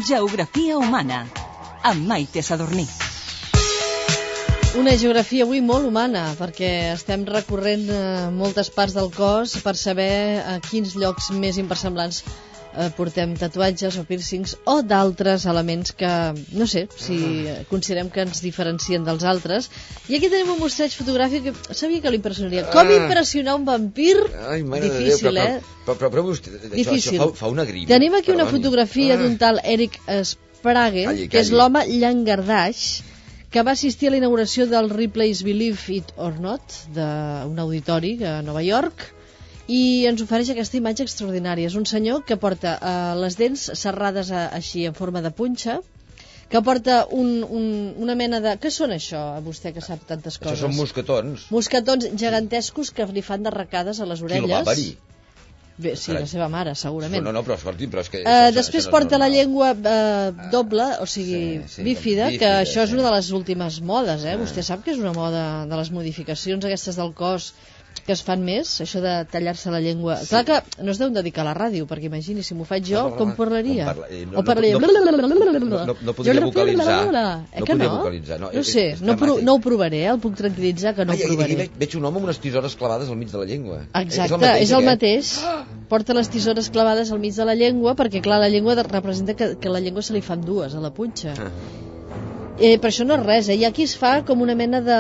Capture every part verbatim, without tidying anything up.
Geografia humana, amb Maite Sadurní. Una geografia avui molt humana, perquè estem recorrent eh, moltes parts del cos per saber a quins llocs més inversemblants eh, portem tatuatges o piercings o d'altres elements que, no sé, si considerem que ens diferencien dels altres. I aquí tenim un mostreig fotogràfic que sabia que l'impressionaria. Com impressionar un vampir? Ai, mare Difícil, de Déu, però, eh? Però, però, però vostè, això, Difícil. això fa, fa una grima. Tenim aquí una perdoni. fotografia Ah. d'un tal Eric Sprague, Calli, que és calli. l'home llangardaix, que va assistir a la inauguració del Ripley's Believe It or Not, d'un auditori a Nova York, i ens ofereix aquesta imatge extraordinària. És un senyor que porta eh, les dents serrades a, així en forma de punxa, que porta un, un, una mena de... Què són això, a vostè que sap tantes coses? Això són mosquetons. Mosquetons gegantescos que li fan d'arracades a les Qui el orelles. va parir? Bé, sí, la seva mare, segurament. No, no, però escolti, però és que... Uh, això- després això no és porta la normal. llengua uh, doble, o sigui, Sí, sí, bífida, bífida, que això és sí. una de les últimes modes, eh? Ah. Vostè sap que és una moda de les modificacions aquestes del cos que es fan més, això de tallar-se la llengua. Sí. Clar que no es deu dedicar a la ràdio, perquè imagini, si m'ho faig jo, No, no, com no, parlaria? com parla- eh, no, O parlaria... no, no, no, no podria vocalitzar. Eh No que podria no? vocalitzar, no, No és- sé, és no, pro, dramàtic. no ho provaré, eh? El puc tranquil·litzar que no Ai, ho aquí, aquí provaré. veig, veig un home amb unes tisores clavades al mig de la llengua. Exacte, és el mateix. aquest? Porta les tisores clavades al mig de la llengua, perquè clar, la llengua de- representa que, que la llengua se li fan dues a la punxa. Ah. Eh, però això no és res, eh? Hi ha qui es fa com una mena de...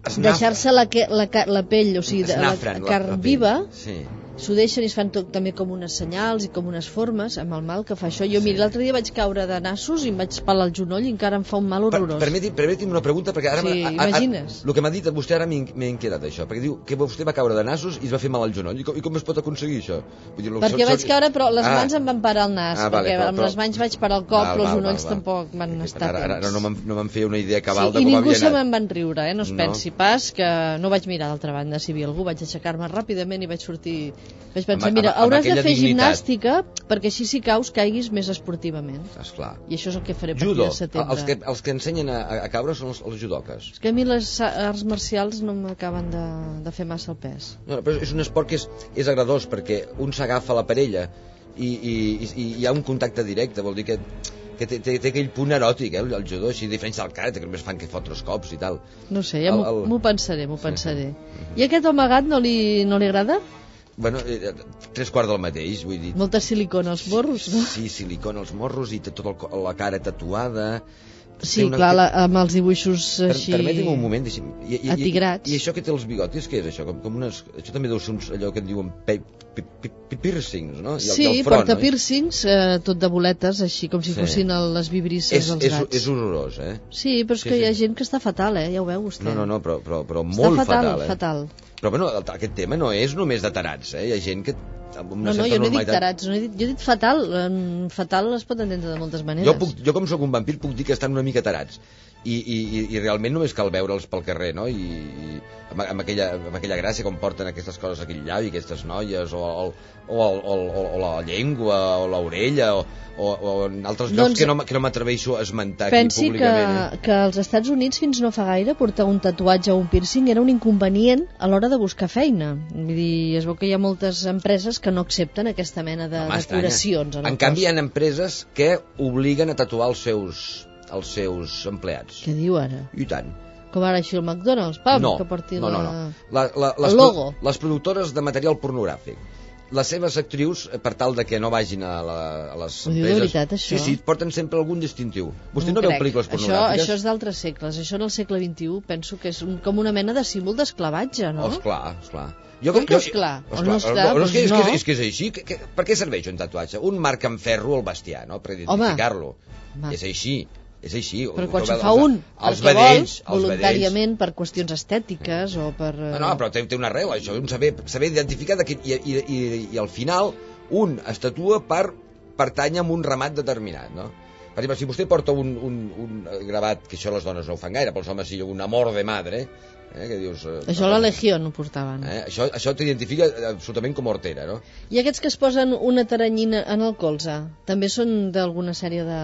Snaf- deixar-se la, que- la, ca- la pell, o sigui, de, la, Snafren, la- carn la pell. viva, Sí. s'ho deixen i es fan tot, també com unes senyals i com unes formes, amb el mal que fa això. Jo, mira, l'altre dia vaig caure de nassos i em vaig pelar el genoll i encara em fa un mal Per, horrorós. permeti, permeti'm una pregunta, perquè ara... Sí, a- a- a- imagines. El que m'ha dit vostè ara m'he m'he inquietat, això, perquè diu que vostè va caure de nassos i es va fer mal al genoll. I com, i com es pot aconseguir això? Vull dir, Perquè so- vaig so- caure, però les Ah. mans em van parar el nas, Ah, vale, perquè però- amb però- les mans vaig parar el cop, Val, però els val, genolls val, val. tampoc van estar Ara, ara tens. no me'n no me'n feia una idea cabal Sí, de i com ningú havia se anat. me'n van riure, eh? No es No. pensi pas que no vaig mirar d'altra banda si hi havia algú, vaig aixecar-me ràpidament i vaig sortir, vaig pensar, Amb- mira, amb- amb hauràs de aquella fer dignitat. gimnàstica perquè així si caus caiguis més esportivament, Esclar. i això és el que faré a partir Judo. de setembre. Els que, els que ensenyen a, a caure són els, els judoques. És que a mi les arts marcials no m'acaben de, de fer massa el pes. No, però és un esport que és, és agradós perquè un s'agafa la parella i, i, i, i hi ha un contacte directe, vol dir que, que té, té, té aquell punt eròtic, eh, el, el judo, així a diferència del karate, que només fan que fotre els cops i tal. No sé, ja El- m'ho el- m'ho pensaré, m'ho Sí, pensaré. sí. I aquest home gat no li, no li agrada? Bueno, eh, tres quarts del mateix, vull dir. Molta silicona als morros, no? Sí, silicona als morros i té tota el, co- la cara tatuada. Sí, Té una- clar, la, amb els dibuixos Per, així... Permeti'm un moment, deixi'm. I, i, i, atigrats. I, I això que té els bigotis, què és això? Com, com unes, això també deu ser uns, allò que en diuen pe, pe, pe, pe, piercings, no? I el, Sí, i el front, porta no? piercings, eh, tot de boletes, així com si Sí. fossin el, les vibrisses És, dels és, gats. és horrorós, eh? Sí, però és Sí, que sí. hi ha gent que està fatal, eh? Ja ho veu vostè. No, no, no, però, però, però Està molt fatal, fatal, eh? fatal. Però bueno, el- aquest tema no és només de tarats, eh? Hi ha gent que amb una No, no, certa jo no he dit normalitat... tarats, no he dit, jo he dit fatal. Um, fatal es pot entendre de moltes maneres. Jo, puc, jo com sóc un vampir puc dir que estan una mica tarats i, i, i- i realment només cal veure'ls pel carrer, no? I, i amb, amb, aquella, amb aquella gràcia com porten aquestes coses aquell llavi, aquestes noies o, el, o, el, o, el, o la llengua o l'orella o, o, o en altres llocs Doncs que no, m- que no m'atreveixo a esmentar Pensi aquí que, públicament, eh? que als Estats Units fins no fa gaire portar un tatuatge o un piercing era un inconvenient a l'hora de buscar feina. Vull dir, es veu que hi ha moltes empreses que no accepten aquesta mena de Home, estranya. decoracions. En, el En canvi hi cos. ha empreses que obliguen a tatuar els seus, els seus empleats. Què diu ara? I tant. Com ara així el McDonald's, pam, no, que porti no, no, la... no. La, la, les, el logo. pro- les productores de material pornogràfic, les seves actrius, eh, per tal de que no vagin a, la, a les Ho diu de empreses... veritat, això? Sí, sí, porten sempre algun distintiu. Vostè no, ho veu crec. pel·lícules això, pornogràfiques? això és d'altres segles. Això en el segle vint-i-u penso que és un, com una mena de símbol d'esclavatge, no? Oh, esclar, esclar. Jo, Com que esclar? O no esclar, no, és, que, és, doncs que, no. és que és així. Que, que, per què serveix un tatuatge? Un marc amb ferro al bestiar, no? Per identificar-lo. Home. És així. És així. Però quan Els- se els- fa un els perquè vedells, vol, els voluntàriament per qüestions estètiques o per... eh, No, no, però té, té una arrel, això, un saber, saber identificar de que, i, i, i, i al final un es tatua per pertany a un ramat determinat, no? Per exemple, si vostè porta un, un, un gravat, que això les dones no ho fan gaire, però els homes sí, un amor de madre, Eh, que dius, eh, això a la Legió no portaven. Eh? Això, això t'identifica absolutament com hortera, no? I aquests que es posen una taranyina en el colze, també són d'alguna sèrie de...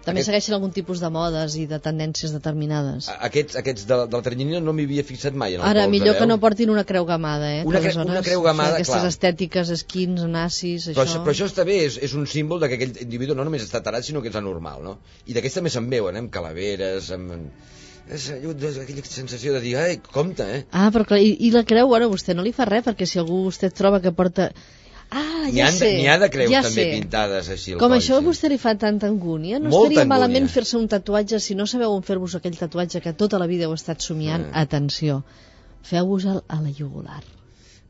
També Aquest... segueixen algun tipus de modes i de tendències determinades. Aquests, aquests de, de la taranyina no m'hi havia fixat mai en el Ara, colze, millor veu? que no portin una creu gamada, eh? Una, cre una creu gamada, o sigui, aquestes clar. estètiques, esquins, nazis, però això... això... Però això està bé, és, és un símbol de que aquell individu no només està tarat, sinó que és anormal, no? I d'aquests també se'n veuen, eh? Amb calaveres, amb... És aquella sensació de dir, ai, compte, eh? Ah, però clar, i, i la creu, bueno, vostè no li fa res, perquè si algú vostè troba que porta... Ah, ja sé, N'hi ha de creus ja també sé. pintades així al Com coll, això a sí. vostè li fa tanta angúnia, no Molta estaria angúnia. malament fer-se un tatuatge si no sabeu on fer-vos aquell tatuatge que tota la vida heu estat somiant. Ah. Atenció, feu-vos a la jugular.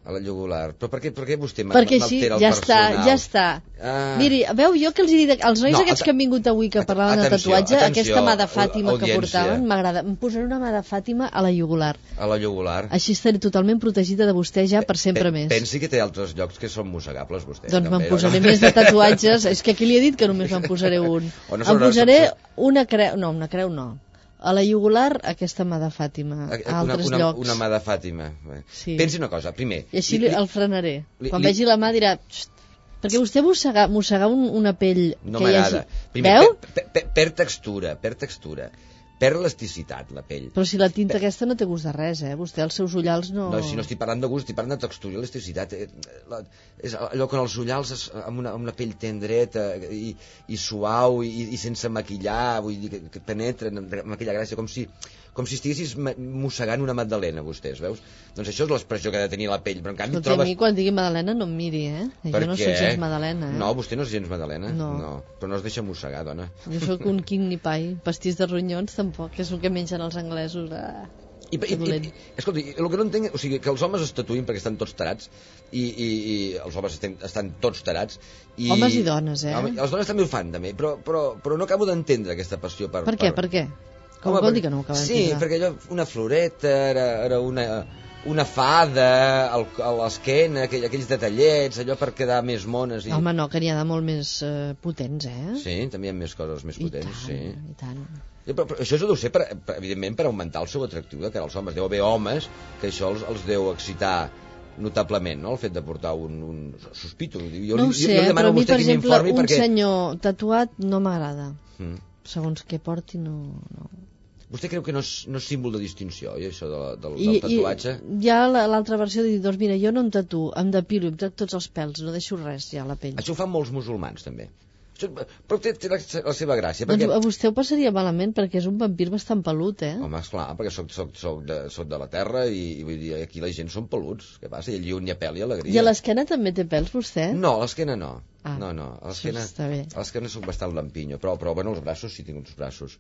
A la jugular. Però per què, per què vostè perquè així m'altera el ja personal? està, ja està. Ah. Miri, veu jo que els he dit, els nois No, aquests at- que han vingut avui que parlaven atenció, de tatuatge, atenció, aquesta mà de Fàtima audiència. que portaven, m'agrada. Em posaré una mà de Fàtima a la jugular. A la jugular. Així estaré totalment protegida de vostè ja per sempre Pe- més. Pensi que té altres llocs que són mossegables, vostè. Doncs me'n també, posaré no? més de tatuatges. És que aquí li he dit que només me'n posaré un. O no Em sobre- posaré una creu... No, una creu no. A la jugular, aquesta mà de Fàtima. A una, altres una, llocs. una mà de Fàtima. Sí. Pensi una cosa, primer... I així li, li, el frenaré. li- Quan li- vegi la mà dirà... "Xt", perquè vostè mossegar, mossegar un, una pell No que hi m'agrada. hagi... Primer, Veu? per, per, per textura, per textura. Perd elasticitat, la pell. Però si la tinta aquesta no té gust de res, eh? Vostè, els seus ullals no... No, si no estic parlant de gust, estic parlant de textura i elasticitat. Eh, la, és allò que els ullals es, amb, una, amb una pell tendreta i, i suau i, i sense maquillar, vull dir, que, que penetren amb, amb aquella gràcia, com si, com si estiguessis mossegant una magdalena, vostès, veus? Doncs això és l'expressió que ha de tenir la pell, però en canvi Escolta, trobes... a mi quan digui magdalena no em miri, eh? Per jo no què? soc gens magdalena, eh? No, vostè no és gens magdalena? No. no. Però no es deixa mossegar, dona. Jo sóc un king ni pai. Pastís de ronyons tampoc, que és el que mengen els anglesos. Ah, I, i, i, escolta, el que no entenc, o sigui, que els homes es tatuïn perquè estan tots tarats i, i, i els homes estan, estan tots tarats i, homes i dones, eh? Home, les dones també ho fan, també, però, però, però no acabo d'entendre aquesta passió per... Per què, per, per què? Com home, vol per... dir que no ho acaba sí, d'entendre? perquè allò, una floreta, era, era una, una fada al, a l'esquena, aquell, aquells detallets, allò per quedar més mones. I... Home, no, que n'hi ha de molt més uh, potents, eh? Sí, també hi ha més coses més potents, I tant, sí. i tant. Però, però això deu ser, per, per, evidentment, per augmentar el seu atractiu de cara als homes. Deu haver homes que això els, els deu excitar notablement, no?, el fet de portar un... un sospito. Jo, No ho li, sé, jo li demano però a mi, a vostè per que exemple, m'informi un perquè... senyor tatuat no m'agrada. Mm. Segons què porti, no... no. Vostè creu que no és, no és símbol de distinció, oi, això de, del, I, del tatuatge? I hi ha l'altra versió de dir, doncs mira, jo no em tatuo, em depilo, em trec tots els pèls, no deixo res ja a la pell. Això ho fan molts musulmans, també. Això, però té, té la, la seva gràcia. Doncs Perquè... a vostè ho passaria malament perquè és un vampir bastant pelut, eh? Home, esclar, perquè soc, soc, soc, de, soc de la terra i, i vull dir, aquí la gent són peluts. Què passa? I allí on hi ha pèl i alegria. I a l'esquena també té pèls, vostè? No, a l'esquena no. Ah, no, no. A l'esquena, està bé. a l'esquena soc bastant lampinyo, però, però bueno, els braços sí tinc uns braços,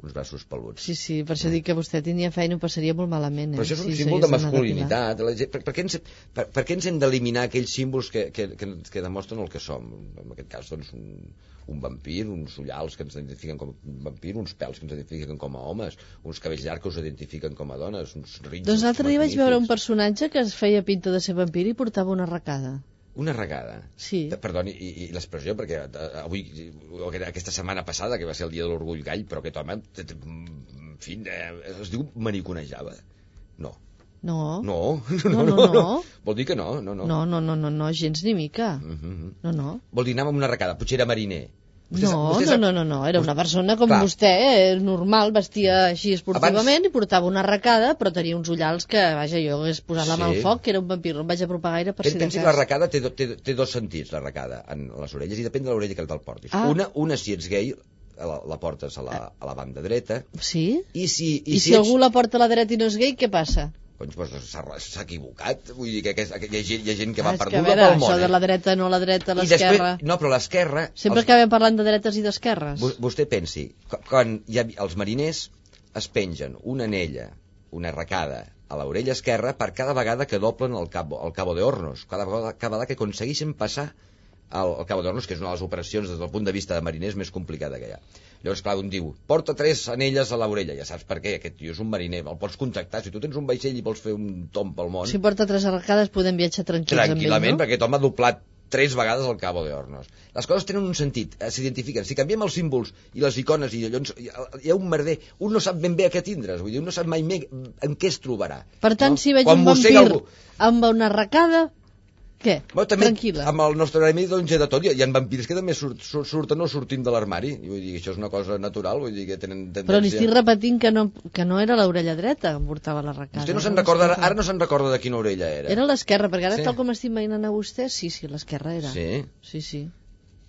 uns braços peluts. Sí, sí, per això dic que vostè tenia feina i ho passaria molt malament, eh? Però això és un si símbol de s'hagués d'anar a masculinitat. La gent, per, per, què ens, per, per què ens hem d'eliminar aquells símbols que, que, que, que demostren el que som? En aquest cas, doncs, un, un vampir, uns ullals que ens identifiquen com a vampir, uns pèls que ens identifiquen com a homes, uns cabells llargs que us identifiquen com a dones, uns rins... Doncs l'altre dia vaig veure un magnífics. personatge que es feia pinta de ser vampir i portava una arracada. Una regada. Sí. Perdoni, i, i l'expressió, perquè avui, aquesta setmana passada, que va ser el dia de l'orgull gall, però aquest home, en fi, es diu maniconejava. No. No. No. No, no, no. Vol dir que no, no, no. No, no, no, no, no, gens ni mica. Uh -huh. No, no. Vol dir anar amb una arracada, potser era mariner. Vostè No, sap, vostè no, sap... no, no, no, era una persona com Clar. vostè, eh, normal, vestia així esportivament Abans- i portava una arracada, però tenia uns ullals que, vaja, jo hagués posat la mà al Sí. foc, que era un vampir, no em vaig apropar gaire per si de Pensi que cas. l'arracada té, do- té, té dos sentits, l'arracada, en les orelles, i depèn de l'orella que te'l portis. Ah. Una, una, si ets gay, la, la portes a la, a la banda dreta, Sí? i si, I, I si, si algú la porta a la dreta i no és gay, què passa? Doncs, doncs s'ha s'ha equivocat, vull dir que, aquest, que hi, ha gent, hi ha gent que Ah, va és que, a perduda veure, pel món. això de eh? la dreta, no la dreta, I l'esquerra... després, no, però l'esquerra... Sempre els- acabem parlant de dretes i d'esquerres. vo- Vostè pensi, qu- quan hi ha, els mariners es pengen una anella, una arracada, a l'orella esquerra per cada vegada que doblen el cabo, el cabo de Hornos, cada vegada, cada vegada que aconsegueixen passar al, al cabo de Hornos, que és una de les operacions des del punt de vista de mariners més complicada que hi ha. Llavors, clar, un diu, porta tres anelles a l'orella, ja saps per què, aquest tio és un mariner, el pots contactar, si tu tens un vaixell i vols fer un tomb pel món, Si porta tres arracades podem viatjar tranquils tranquil·lament, amb ell, perquè aquest home ha doblat tres vegades al Cabo de Hornos. Les coses tenen un sentit, eh, s'identifiquen. Si canviem els símbols i les icones i allò, hi ha un merder, un no sap ben bé a què tindre's, vull dir, un no sap mai bé en què es trobarà. Per tant, no? si veig Quan un vampir algú... amb una arracada, què? Bueno, també, tranquil·la. amb el nostre gremi doncs, hi ha de tot. Hi ha vampirs que també surt, surt, surten o sortim de l'armari. Vull dir, això és una cosa natural, vull dir que tenen tendència... Però li estic repetint que no, que no era l'orella dreta que em portava l'arracada. Vostè no se'n recorda, ara, ara no se'n recorda de quina orella era. Era l'esquerra, perquè ara Sí. tal com estic imaginant a vostè, sí, sí, l'esquerra era. Sí? Sí, sí.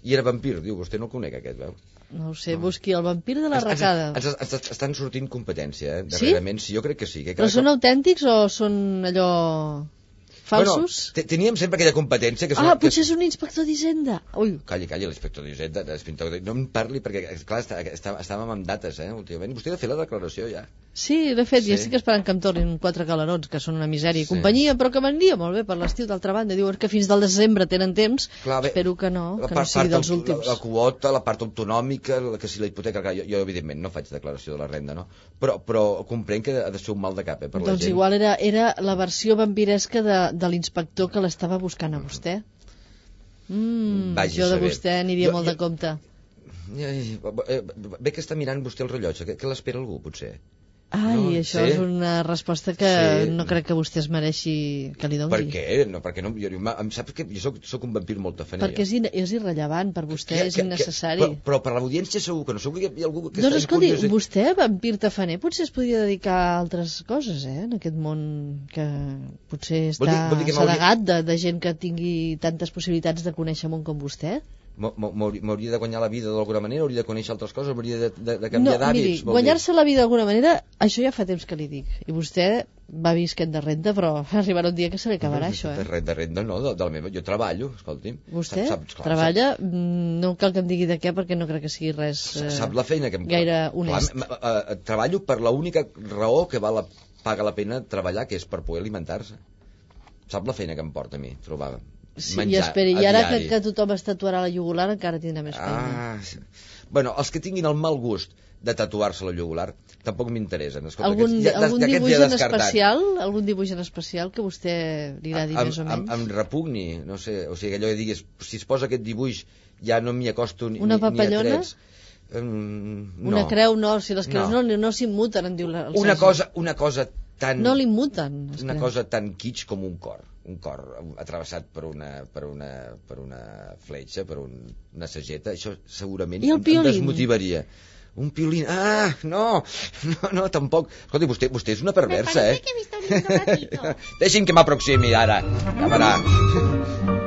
I era vampir, diu, vostè no el conec aquest, veu? No ho sé, busqui el vampir de l'arracada. Ens, ens, ens estan sortint competència, eh? Darrerament, sí? sí, jo crec que sí. Que Però són autèntics o són allò... falsos? Bueno, teníem sempre aquella competència que... Ah, que... potser és un inspector d'Hisenda. Ui. Calli, calli, l'inspector d'Hisenda, no em parli, perquè, clar, està, està, estàvem amb dates, eh, últimament. Vostè ha de fer la declaració, ja. Sí, l'he fet, Sí. i estic esperant que em tornin quatre calerons, que són una misèria i Sí. companyia, però que m'aniria molt bé per l'estiu, d'altra banda. Diuen que fins del desembre tenen temps, Clar, bé, espero que no, la que part, no sigui part dels del- últims. La, la quota, la part autonòmica, la, que si la hipoteca... Clar, jo, jo, evidentment, no faig declaració de la renda, no? Però, però comprenc que ha de ser un mal de cap, eh, per la Doncs gent. igual era, era la versió vampiresca de, de l'inspector que l'estava buscant a vostè. Mm, Vagi jo a de saber. vostè aniria Jo- molt jo- de compte. Ai, eh, Bé que està mirant vostè el rellotge, que, que l'espera algú, potser? Ai, No, això sí. és una resposta que Sí. no crec que vostè es mereixi que li doni. Per què? No, perquè no, jo, em saps que jo soc, soc un vampir molt tafaner. Perquè és, in, és irrellevant per vostè, Que- és que- innecessari. Que, però, però per l'audiència segur que no. Segur que hi ha algú que Doncs està escolti, curiós. vostè, vampir tafaner, potser es podria dedicar a altres coses, eh? En aquest món que potser Vol dir- està vol dir que m'hauria- sedegat de, de gent que tingui tantes possibilitats de conèixer món com vostè. M'ho- m'ho- M'hauria de guanyar la vida d'alguna manera, hauria de conèixer altres coses, m'hauria de, de, de No, canviar miri, d'hàbits. vol dir. guanyar-se la vida d'alguna manera, això ja fa temps que li dic. I vostè va visquent de renta, però arribarà un dia que se li acabarà, això, De eh? renda, de renda no, de, de la meva... Jo treballo, escolti'm. Vostè Sap- saps- clar, treballa, mm, no cal que em digui de què, perquè no crec que sigui res Sap, eh, sap la feina que em... gaire honest. Clar, m- m- eh, treballo per l'única raó que val la, paga la pena treballar, que és per poder alimentar-se. Sap la feina que em porta a mi, trobar Sí, menjar i esperi, a i ara que, diari. que tothom es tatuarà la jugular encara tindrà més feina. Ah, sí. Bueno, els que tinguin el mal gust de tatuar-se la jugular tampoc m'interessen. Escolta, Algun, aquests ja- algun d'aquests dibuix ja en descartat. especial, algun dibuix en especial que vostè li agradi Em- més o em, menys? em repugni, no sé, o sigui, allò que diguis, si es posa aquest dibuix ja no m'hi acosto ni, Una ni, ni a papallona? trets. Um, no. Una creu no, si les creus no, No. no, no s'immuten, en diu la, el Una Sergi. cosa, una cosa tan... No l'immuten, les una creus. cosa tan kitsch com un cor, un cor atravessat per una, per una, per una fletxa, per un, una sageta, això segurament I el em, em piolín? desmotivaria. Un piolín, ah, no, no, no, tampoc. Escolti, vostè, vostè és una perversa, eh? Me parece que he visto un lindo gatito. Deixi'm que m'aproximi ara, a veure.